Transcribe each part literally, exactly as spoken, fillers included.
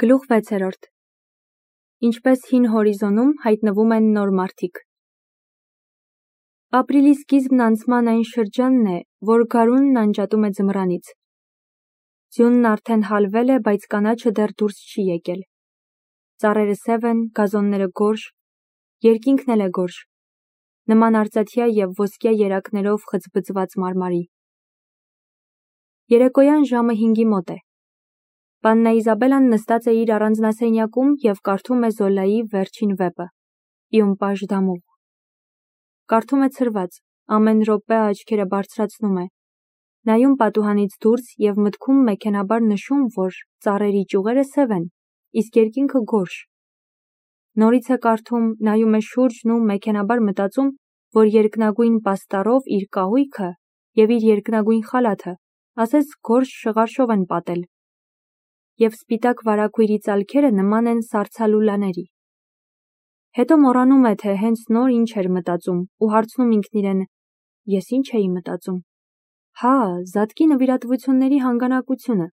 Գլուխ վեցերորդ Ինչպես հին հորիզոնում հայտնվում են նոր մարդիկ։ Ապրիլի սկիզբն անցման այն շրջանն է, որ գարունն անջատում է ձմռանից։ Ձյունն արդեն հալվել է, բայց կանաչը դեռ դուրս չի եկել։ Ծառերը սև են, գազոնները գորշ, երկինքն էլ է գորշ, նման արծաթյա և ոսկյա երակներով խցբծված մարմարի։ Երեկոյան ժամը հինգի մոտ է։ Պաննա Իզաբելան նստած է իր առանձնասենյակում և կարդում է Զոլայի վերջին վեպը՝ Իումպաժ Դամուղ։ Կարդում է ցրված, ամեն րոպե աչքերը բարձրացնում է, նայում պատուհանից դուրս և մտքում մեքենաբար նշում, որ ծառերի ճյուղերը սև են, իսկ երկինքը գորշ։ Նորից է կարդում, նայում է շուրջն ու մեքենաբար մտածում, որ երկնագույն պաստառով իր կահույքը և իր երկնագույն խալաթը ասես գորշ շղարշով են պատել, և սպիտակ վարագույրի ծալքերը նման են սառցալուլաների։ Հետո մոռանում է, թե հենց նոր ինչ էր մտածում ու հարցնում ինքն իրեն. ես ինչ էի մտածում։ Հա, զատկի նվիրատվությունների հանգանակությունը։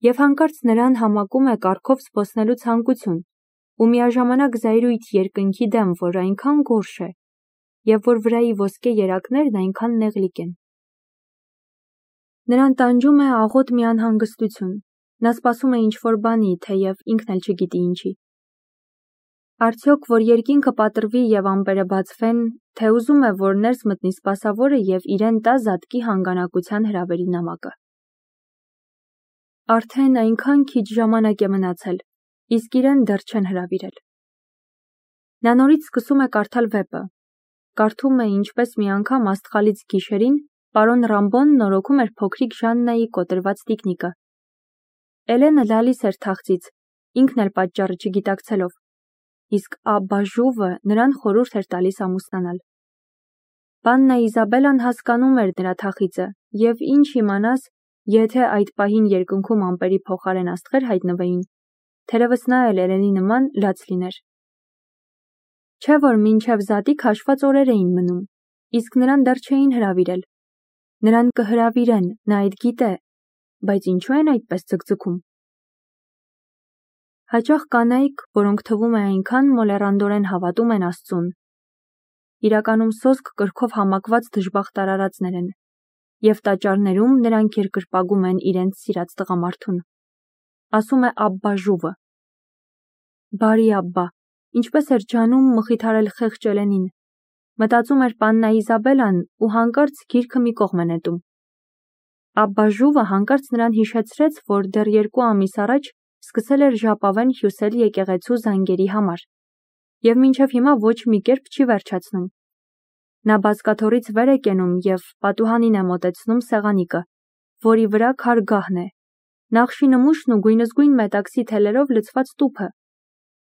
Եվ հանկարծ նրան համակում է կառքով զբոսնելու ցանկություն ու միաժամանակ զայրույթ երկնքի դեմ, որ այնքան գորշ է, և որ վրայի ոսկե երակներն այնքան նեղլիկ են։ Նրան տանջում է աղոտ մի անհանգստություն, նա սպասում է ինչ-որ բանի, թեև ինքն էլ չգիտի ինչի։ Արդյոք, որ երկինքը պատռվի և ամպերը բացվեն, թե ուզում է, որ ներս մտնի սպասավորը և իրեն տա զատկի հանգանակության հրավերի նամակը։ Արդեն այնքան քիչ ժամանակ է մնացել, իսկ իրեն դեռ չեն հրավիրել։ Նա նորից սկսում է կարդալ վեպը, կարդում է, ինչպես մի անգամ աստղալից գիշերին պարոն Ռամբոն նորոգում էր փոքրիկ Ժաննայի կոտրված տիկնիկը։ Էլենը լալիս էր թախծից, ինքն էլ պատճառը չգիտակցելով, իսկ Աբբաժուվը նրան խորհուրդ էր տալիս ամուսնանալ։ Պաննա Իզաբելան հասկանում էր նրա թախիծը, և ինչ իմանաս, եթե այդ պահին երկնքում ամպերի փոխարեն աստղեր հայտնվեին, թերևս նա էլ Էլենի նման լաց լիներ։ Չէ՞ որ մինչև զատիկ հաշված օրեր էին մնում, իսկ նրան դեռ չէին հրավիրել։ Նրան կհրավիրեն, նա այդ գիտե, բայց ինչու են այդպես ձգձգում։ Հաճախ կանայք, որոնք թվում է այնքան մոլեռանդորեն հավատում են Աստծուն, իրականում սոսկ կրքով համակված դժբախտ արարածներ են, և տաճարներում նրանք երկրպագում են իրենց սիրած տղամարդուն։ Ասում է Աբբաժուվը։ Բարի Աբբա, ինչպես էր ջանում մխիթարել խեղճ Էլենին։ Մտածում էր Պաննա Իզաբելան ու հանկարծ գիրքը մի կողմ է նետում։ Աբբաժուվը հանկարծ նրան հիշեցրեց, որ դեռ երկու ամիս առաջ սկսել էր ժապավեն հյուսել եկեղեցու զանգերի համար, և մինչև հիմա ոչ մի կերպ չի վերջացնում։ Նա բազկաթոռից վեր է կենում և պատուհանին է մոտեցնում սեղանիկը, որի վրա քարգահն է, նախշի նմուշն ու գույնզգույն մետաքսի թելերով լցված տուփը,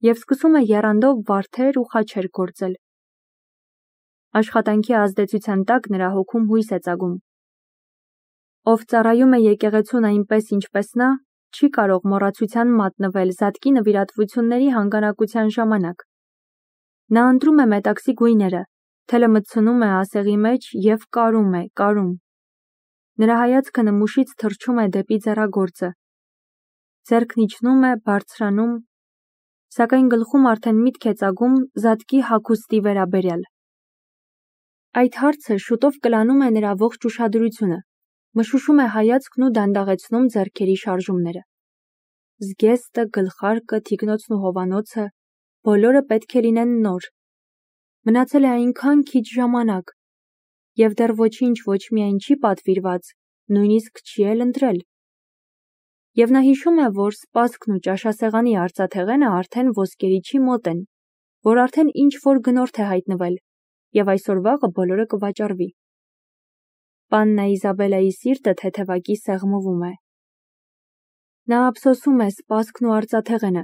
և սկսում է եռանդով վարդեր ու խաչեր գործել։ Աշխատանքի ազդեցության տակ նրա հոգում հույս է ծագում։ Ով ծառայում է եկեղեցուն այնպես, ինչպես նա, չի կարող մոռացության մատնվել զատկի նվիրատվությունների հանգանակության ժամանակ։ Նա ընտրում է մետաքսի գույները, թելը մտցնում է ասեղի մեջ և կարում է, կարում։ Նրա հայացքը նմուշից թռչում է դեպի ձեռագործը։ Ձեռքն իջնում է, բարձրանում, սակայն գլխում արդեն միտք է ծագում զատկի հագուստի վերաբերյալ։ Այդ հարցը շուտով կլանում է նրա ողջ ուշադրությունը, մշուշում է հայացքն ու դանդաղեցնում ձեռքերի շարժումները։ Զգեստը, գլխարկը, թիկնոցն ու հովանոցը, բոլորը պետք է լինեն նոր։ Մնացել է այնքան քիչ ժամանակ, և դեռ ոչինչ ոչ միայն չի պատվիրված, նույնիսկ չի էլ ընտրել։ Եվ նա հիշում է, որ սպասքն ու ճաշասեղանի արծաթեղենը արդեն ոսկերիչի մոտ են, որ արդեն ինչ-որ գնորդ է հայտնվել, և այսօր վաղը բոլորը կվաճառվի։ Պաննա Իզաբելայի սիրտը թեթևակի սեղմվում է։ Նա ափսոսում է սպասքն ու արծաթեղենը,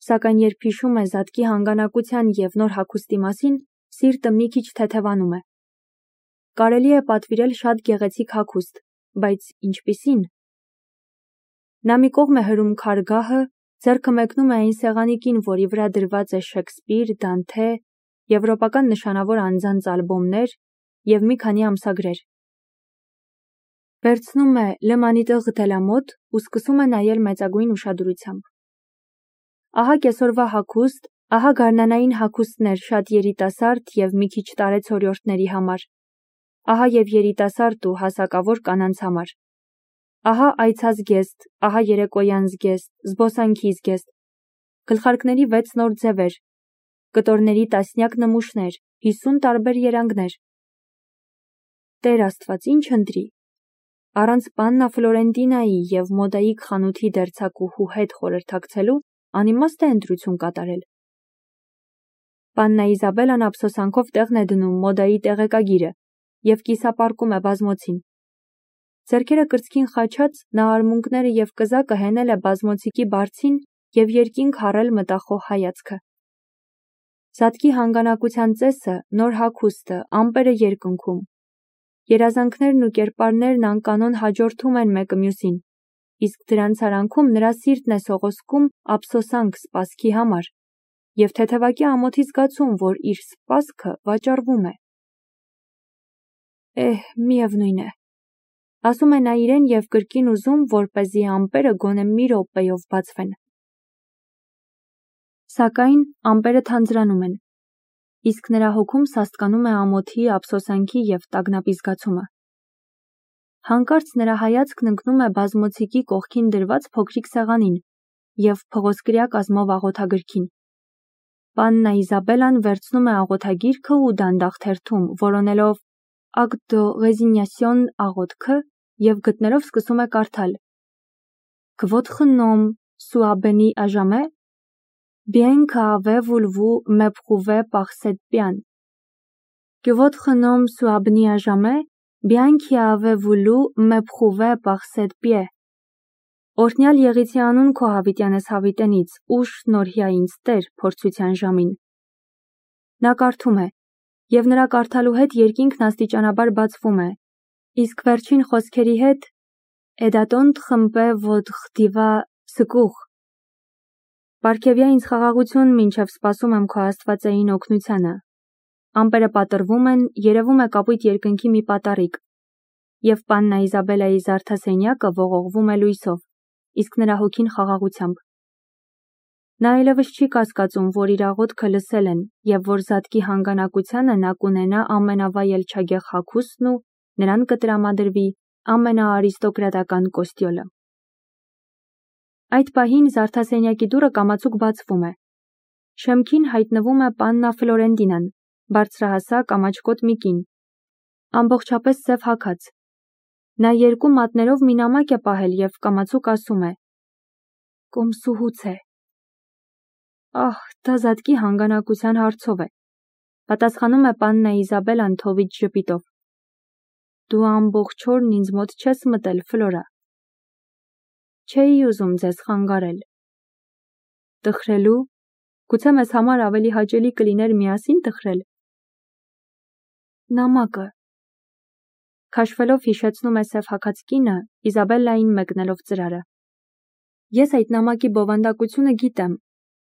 սակայն երբ հիշում է զատկի հանգանակության և նոր հագուստի մասին, սիրտը մի քիչ թեթևանում է։ Կարելի է պատվիրել շատ գեղեցիկ հագուստ, բայց ինչպիսի՞ն։ Նա մի կողմ է հրում քարգահը, ձեռքը մեկնում է այն սեղանիկին, որի վրա դրված է Շեքսպիր, Դանթե, եվրոպական նշանավոր անձանց ալբոմներ և մի քանի ամսագրեր։ Վերցնում է Le Maniteau դե la Mode ու սկսում է նայել մեծագույն ուշադրությամբ։ Ահա կեսօրվա հագուստ, ահա գարնանային հագուստներ շատ երիտասարդ և մի քիչ տարեցօրյորդների համար, ահա և երիտասարդ ու հասակավոր կանանց համար, ահա այցազգեստ, ահա երեկոյան զգեստ, զբոսանքի զգեստ, գլխարկների վեց նոր ձևեր, կտորների տասնյակ նմուշներ, հիսուն տարբեր երանգներ։ Տեր Աստված, ինչ ընտրի։ Առանց Պաննա Ֆլորենտինայի և մոդայիկ խանութի դերձակուհու հետ խորհրդակցելու անիմաստ է ընտրություն կատարել։ Պաննա Իզաբելան ափսոսանքով տեղն է դնում մոդայի տեղեկագիրը և կիսապարկում է բազմոցին։ Ձեռքերը կրծքին խաչած, նա արմունկները և կզակը հենել է բազմոցիկի բարձին և երկինք հառել մտախոհ հայացքը։ Զատկի հանգանակության ծեսը, նոր հագուստը, ամպերը երկնքում։ Երազանքներն ու կերպարներն անկանոն հաջորդում են մեկը մյուսին, իսկ դրանց արանքում նրա սիրտն է սողոսկում ափսոսանք սպասքի համար և թեթևակի ամոթի զգացում, որ իր սպասքը վաճառվում է։ Էհ, միևնույն է, ասում է նա իրեն և կրկին ուզում, որպեսզի ամպերը գոնե մի րոպեով բացվեն։ Սակայն ամպերը թանձրանում են, իսկ նրա հոգում սաստկանում է ամոթի, ափսոսանքի և տագնապի զգացումը։ Հանկարծ նրա հայացքն ընկնում է բազմոցիկի կողքին դրված փոքրիկ սեղանին և փղոսկրյա կազմով աղոթագրքին։ Պաննա Իզաբելան վերցնում է աղոթագիրքը ու դանդաղ թերթում, որոնելով «Acte de résignation» աղոթքը և գտնելով սկսում է կարդալ. Que votre nom soit béni à jamais, bien qu'avez-vous m'éprouvé par cette peine. Que votre nom soit béni à jamais, bien qu'avez-vous m'éprouvé par cette peine. Օրհնյալ եղիցի անուն քո հավիտյանս հավիտենից, ուշ շնորհյա ինձ Տեր փորձության ժամին։ Նա կարդում է, և նրա կարդալու հետ երկինքն աստիճանաբար բացվում է, իսկ վերջին խոսքերի հետ «Edaton trempe votre diva secours». Պարգևյա ինձ խաղաղություն, մինչև սպասում եմ քո աստվածային օգնությանը։ Ամպերը պատռվում են, երևում է կապույտ երկնքի մի պատառիկ, և Պաննա Իզաբելայի զարդասենյակը ողողվում է լույսով, իսկ նրա հոգին խաղաղությամբ։ Նա այլևս չի կասկածում, որ իր աղոթքը լսել են և որ զատկի հանգանակությանը նա կունենա ամենավայելչագեղ հագուստն ու նրան կտրամադրվի ամենաարիստոկրատական կոստյոլը։ Այդ պահին զարդասենյակի դուռը կամացուկ բացվում է։ Շեմքին հայտնվում է Պաննա Ֆլորենտինան, բարձրահասակ ամաչկոտ մի կին, ամբողջապես սև հագած։ Նա երկու մատներով մի նամակ է պահել և կամացուկ ասում է. «Կոմսուհուց է»։ Ահ, դա զատկի հանգանակության հարցով է, պատասխանում է Պաննա Իզաբելան թովիճ ժպիտով։ Դու ամբողջ օրն ինձ մոտ չես մտել, Ֆլորա։ Չէի ուզում ձեզ խանգարել։ Տխրելու, գուցե մեզ համար ավելի հաճելի կլիներ միասին տխրել։ Նամակը։ Քաշվելով հիշեցնում է սև հագած կինը, Իզաբելլային մեկնելով ծրարը։ Ես այդ նամակի բովանդակությունը գիտեմ,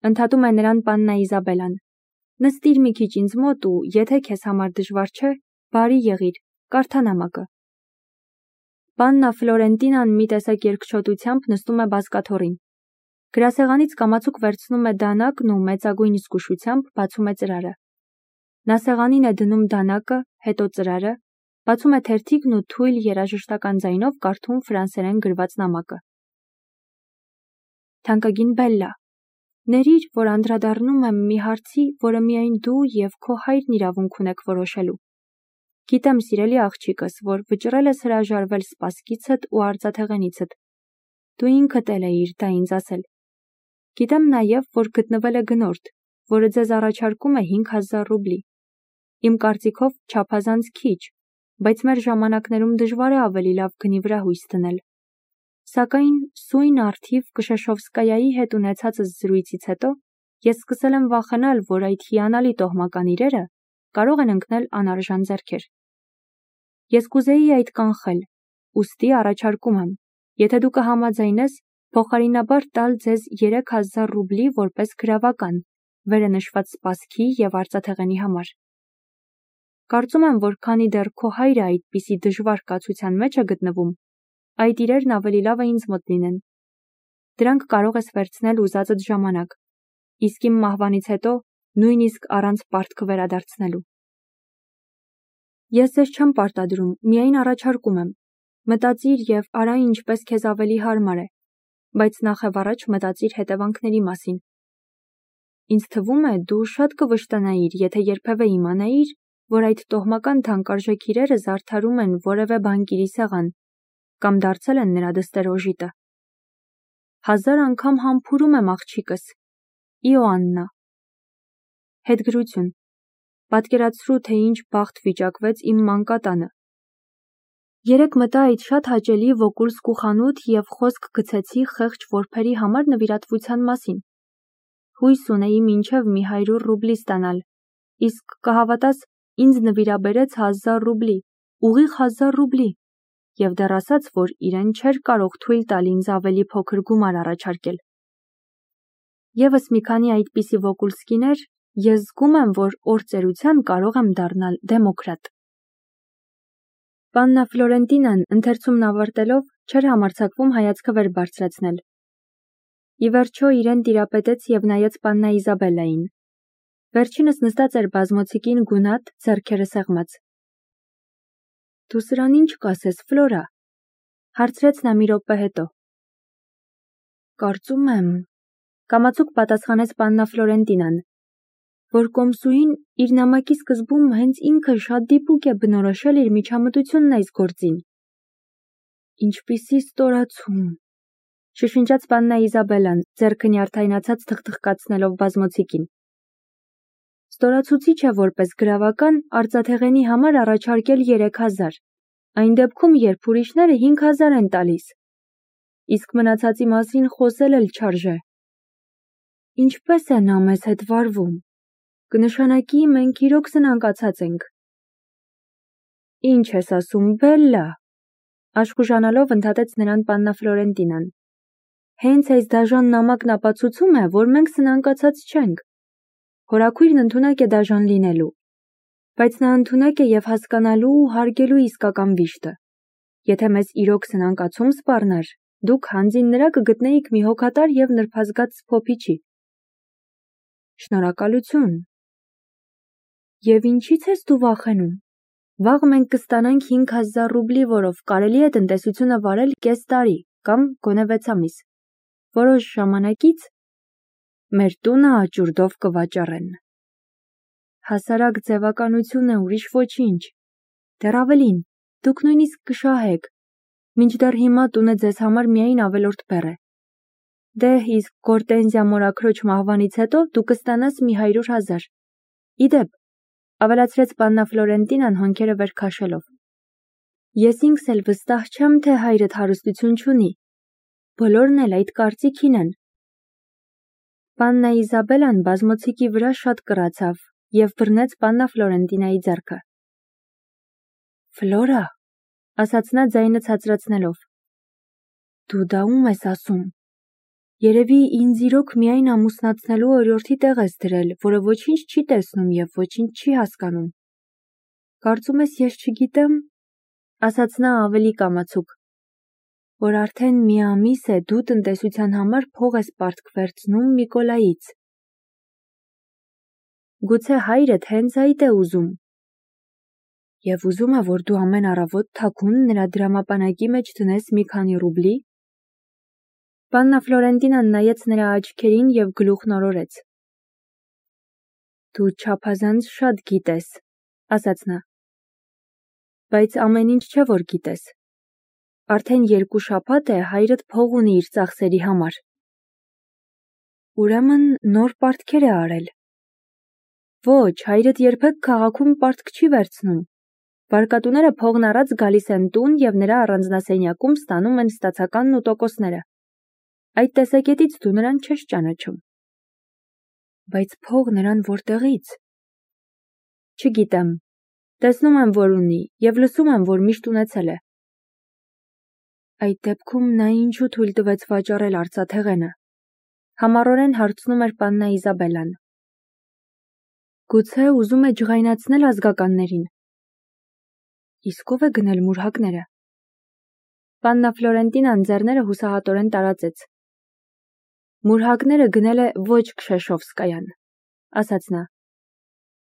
ընդհատում է նրան Պաննա Իզաբելան։ Նստիր մի քիչ ինձ մոտ ու, եթե քեզ համար դժվար չէ, բարի եղիր, կարդա նամակը։ Պաննա Ֆլորենտինան մի տեսակ երկչոտությամբ նստում է բազկաթոռին։ Գրասեղանից կամացուկ վերցնում է դանակն ու մեծագույն զգուշությամբ բացում է ծրարը։ Նա սեղանին է դնում դանակը, հետո ծրարը, բացում է թերթիկն ու թույլ երաժշտական ձայնով կարդում ֆրանսերեն գրված նամակը։ Թանկագին Բելլա, ների՛ր, որ անդրադառնում եմ մի հարցի, որը միայն դու և քո հայրն իրավունք ունեք որոշելու։ Գիտեմ, սիրելի աղջիկս, որ վճռել ես հրաժարվել սպասքիցդ ու արծաթեղենիցդ։ Դու ինքդ էլ էիր դա ինձ ասել։ Գիտեմ նաև, որ գտնվել է գնորդ, որը ձեզ առաջարկում է հինգ հազար ռուբլի։ Իմ կարծիքով չափազանց քիչ, բայց մեր ժամանակներում դժվար է ավելի լավ գնի վրա հույս դնել։ Սակայն սույն առթիվ Կշեշովսկայայի հետ ունեցածս զրույցից հետո ես սկսել եմ վախենալ, որ այդ հիանալի տոհմական իրերը կարող են ընկնել անարժան ձեռքեր։ Ես կուզեի այդ կանխել, ուստի առաջարկում եմ, եթե դու կհամաձայնես, փոխարինաբար տալ ձեզ երեք հազար ռուբլի որպես գրավական, վերը նշված սպասքի և արծաթեղենի համար։ Կարծում եմ, որ քանի դեռ քո հայրը այդպիսի դժվար կացության մեջ է գտնվում, այդ իրերն ավելի լավ է ինձ մոտ լինեն։ Դրանք կարող ես վերցնել ուզածդ ժամանակ, իսկ իմ մահվանից հետո նույնիսկ առանց պարտքը վերադարձնելու։ Ես ձեզ չեմ պարտադրում, միայն առաջարկում եմ։ Մտածիր և արա ինչպես քեզ ավելի հարմար է, բայց նախ եւ առաջ մտածիր հետևանքների մասին։ Ինձ թվում է, դու շատ կվշտանայիր, եթե երբևէ իմանայիր, որ այդ տոհմական թանկարժեք իրերը զարդարում են որևէ բանկիրի սեղան կամ դարձել են նրա դստերոժիտը։ Հազար անգամ համբուրում եմ աղջիկս, Իոաննա։ Հետգրություն։ Պատկերացրու, թե ինչ բախտ վիճակվեց իմ մանկատանը։ Երեկ մտա այդ շատ հաճելի Վոկուլսկու խանութ և խոսք գցեցի խեղճ որբերի համար նվիրատվության մասին։ Հույս ունեի մինչև մի հարյուր ռուբլի ստանալ, իսկ կհավատաս, ինձ նվիրաբերեց հազար ռուբլի, ուղիղ հազար ռուբլի, և դեռ ասաց, որ իրեն չէր կարող թույլ տալ ինձ ավելի փոքր գումար առաջարկել։ Եվս մի քանի այդպիսի Վոկուլսկիներ, ես զգում եմ, որ օրծերության կարող եմ դառնալ դեմոկրատ։ Պաննա Ֆլորենտինան ընթերցումն ավարտելով չէր համարձակվում հայացքը վեր բարձրացնել։ Ի վերջո իրեն տիրապետեց և նայեց պաննա Իզաբելլային։ Վերջինս նստած էր բազմոցիկին գունատ, ձեռքերը սեղմած։ Դու սրան ինչ կասես, Ֆլորա, հարցրեց նա մի րոպե հետո։ Կարծում եմ, կամացուկ պատասխանեց պաննա Ֆլորենտինան, որ կոմսուհին իր նամակի սկզբում հենց ինքը շատ դիպուկ է բնորոշել իր միջամտությունն այս գործին։ Ինչպիսի ստորացում, շշնջաց պաննա Իզաբելլան, ձեռքը նյարդայնացած թխթխկացնելով բազմոցիկին։ Ստորացուցիչ է որպես գրավական արծաթեղենի համար առաջարկել երեք հազար, այն դեպքում, երբ ուրիշները հինգ հազար են տալիս, իսկ մնացածի մասին խոսել էլ չարժե։ Ինչպես է նա մեզ հետ վարվում, կնշանակի մենք իրոք սնանկացած ենք։ Ինչ ես ասում, Բելլա, աշխուժանալով ընդհատեց նրան պաննա Ֆլորենտինան։ Հենց այս դաժան նամակն ապացուցում է, որ մենք սնանկացած չենք։ Հորաքույրն ընդունակ է դաժան լինելու, բայց նա ընդունակ է և հասկանալու ու հարգելու իսկական վիշտը։ Եթե մեզ իրոք սնանկացում սպառներ, դուք հանձին նրա կգտնեիք մի հոգատար և նրբազգաց սփոփիչի։ Շնորհակալություն։ Եվ ինչի՞ց ես դու վախենում։ Վաղ մենք կստանանք հինգ հազար ռուբլի, որով կարելի է տնտեսությունը վարել կես տարի կամ գոնե վեց ամիս։ Որոշ ժամանակից մեր տունը աճուրդով կվաճառեն։ Հասարակ ձևականություն է, ուրիշ ոչինչ։ Դեռ ավելին, դուք նույնիսկ կշահեք, մինչդեռ հիմա տունը ձեզ համար միայն ավելորդ բեռ է։ Դե իսկ Գորտենզիա մորաքրոջ մահվանից հետո դու կստանաս մի հարյուր հազար։ Իդեպ, ավելացրեց պաննա Ֆլորենտինան հոնքերը վեր քաշելով։ Ես ինքս էլ վստահ չեմ, թե հայրդ հարստություն չունի։ Բոլորն էլ այդ կարծիքին են։ Պաննա Իզաբելլան բազմոցիկի վրա շատ կռացավ և բռնեց պաննա Ֆլորենտինայի ձեռքը։ Ֆլորա, ասաց նա ձայնը ցածրացնելով, դու դա ում ես ասում։ Երևի ինձ իրոք միայն ամուսնացնելու օրիորդի տեղ ես դրել, որը ոչինչ չի տեսնում և ոչինչ չի հասկանում։ Կարծում ես ես չգիտեմ, ասաց նա ավելի կամացուկ, որ արդեն մի ամիս է դու տնտեսության համար փող ես պարտք վերցնում Միկոլայից։ Գուցե հայրդ հենց այդ է ուզում։ Եվ ուզում է, որ դու ամեն առավոտ թաքուն նրա դրամապանակի մեջ դնես մի քանի ռուբլի։ Պաննա Ֆլորենտինան նայեց նրա աչքերին և գլուխն օրորեց։ Դու չափազանց շատ գիտես, ասաց նա։ Բայց ամեն ինչ չէ, որ գիտես։ Արդեն երկու շաբաթ է հայրդ փող ունի իր ծախսերի համար։ Ուրեմն նոր պարտքեր է արել։ Ոչ, հայրդ երբեք քաղաքում պարտք չի վերցնում։ Վարկատուները փողն առած գալիս են տուն և նրա առանձնասենյակում ստանում են ստացականն ու տոկոսները։ Այդ տեսակետից դու նրան չես ճանաչում։ Բայց փող նրան որտեղից։ Չգիտեմ։ Տեսնում եմ, որ ունի, և լսում եմ, որ միշտ ունեցել է։ Այդ դեպքում նա ինչու թույլ տվեց վաճառել արծաթեղենը։ Համառորեն հարցնում էր պաննա Իզաբելլան։ Գուցե ուզում է ջղայնացնել ազգականներին։ Իսկ ով է գնել մուրհակները։ Պաննա Ֆլորենտինան ձեռները հուսահատորեն տարածեց։ Մուրհակները գնել է ոչ Քշեշովսկայան, ասաց նա։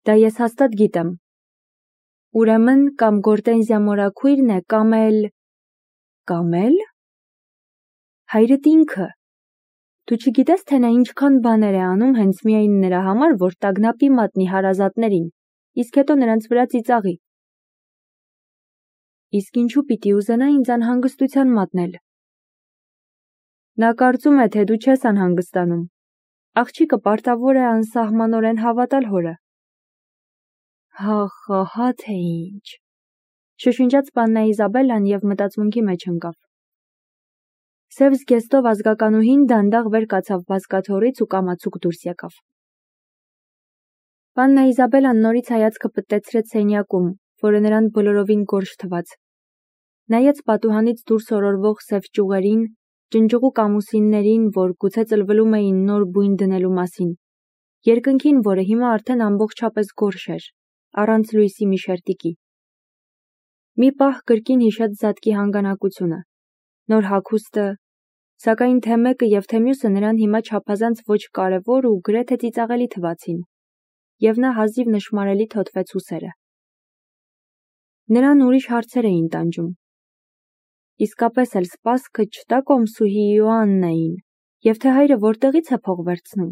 Դա ես հաստատ գիտեմ։ Ուրեմն կամ Գորտենզիա մորաքույրն է, կամ էլ… Կամ էլ… Հայրդ ինքը։ Դու չգիտես, թե նա ինչքան բաներ է անում հենց միայն նրա համար, որ տագնապի մատնի հարազատներին, իսկ հետո նրանց վրա ծիծաղի։ Իսկ ինչու պիտի ուզենա ինձ անհանգստության մատնել։ Նա կարծում է, թե դու չես անհանգստանում։ Աղջիկը պարտավոր է անսահմանորեն հավատալ հորը։ Հա, հա, թե ինչ։ Շշնջաց պաննա Իզաբելլան և մտածմունքի մեջ ընկավ։ Սև զգեստով ազգականուհին դանդաղ վեր կացավ բազկաթոռից ու կամացուկ դուրս եկավ։ Պաննա Իզաբելլան նորից հայացքը պտտեցրեց սենյակում, որը նրան բոլորովին գորշ թվաց։ Նայեց պատուհանից դուրս օրորվող սև ճյուղերին, ջնջուղուկ ամուսիններին, որ գուցե ծլվլում էին նոր բույն դնելու մասին, երկնքին, որը հիմա արդեն ամբողջապես գորշ էր, առանց լույսի մի շերտիկի։ Մի պահ կրկին հիշեց Զատկի հանգանակությունը, նոր հագուստը, սակայն թե մեկը և թե մյուսը նրան հիմա չափազանց ոչ կարևոր ու գրեթե ծիծաղելի թվացին, և նա հազիվ նշմարելի թոթվեց ուսերը։ Նրան ուրիշ հարցեր էին տանջում։ Իսկապես էլ սպասքը չտա Կոմսուհի Իոաննային, և թե հայրը որտեղից է փող վերցնում։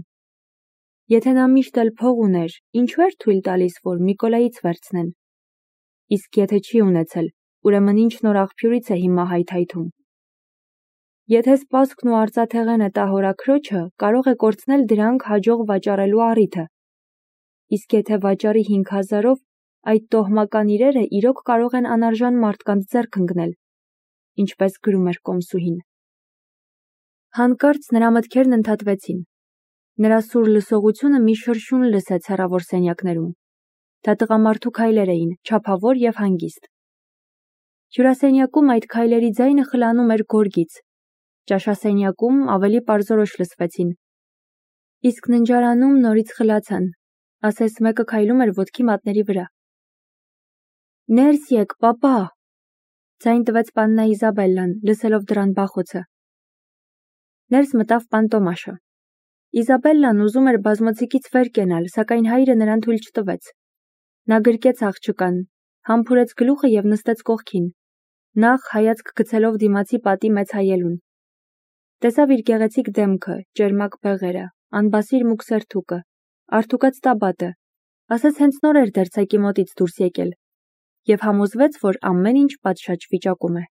Եթե նա միշտ էլ փող ուներ, ինչու էր թույլ տալիս, որ Միկոլայից վերցնեն։ Իսկ եթե չի ունեցել, ուրեմն ինչ նոր աղբյուրից է հիմա հայթայթում։ Եթե սպասքն ու արծաթեղենը տա հորաքրոջը, կարող է կորցնել դրանք հաջող վաճառելու առիթը։ Իսկ եթե վաճառի հինգ հազարով, այդ տոհմական իրերը իրոք կարող են անարժան մարդկանց ձեռք ընկնել, ինչպես գրում էր Կոմսուհին։ Հանկարծ նրա մտքերն ընդհատվեցին։ Նրա սուր լսողությունը մի շրշյուն լսեց հեռավոր սենյակներում։ Դա տղամարդու քայլեր էին, չափավոր և հանգիստ։ Հյուրասենյակում այդ քայլերի ձայնը խլանում էր գորգից։ Ճաշասենյակում ավելի պարզորոշ լսվեցին։ Իսկ ննջարանում նորից խլացան, ասես մեկը քայլում էր ոտքի մատների վրա։ Ներս եկ, պապա, ձայն տվեց պաննա Իզաբելլան, լսելով դրան բախոցը։ Ներս մտավ պան Տոմաշը։ Իզաբելլան ուզում էր բազմոցիկից վեր կենալ, սակայն հայրը նրան թույլ չտվեց։ Նա գրկեց աղջկան, համբուրեց գլուխը և նստեց կողքին, նախ հայացք գցելով դիմացի պատի մեծ հայելուն։ Տեսավ իր գեղեցիկ դեմքը, ճերմակ բեղերը, անբասիր մուգ սերթուկը, արդուկած տաբատը, ասես հենց նոր էր դերձակի մոտից դուրս եկել, և համոզվեց, որ ամեն ինչ պատշաճ վիճակում է։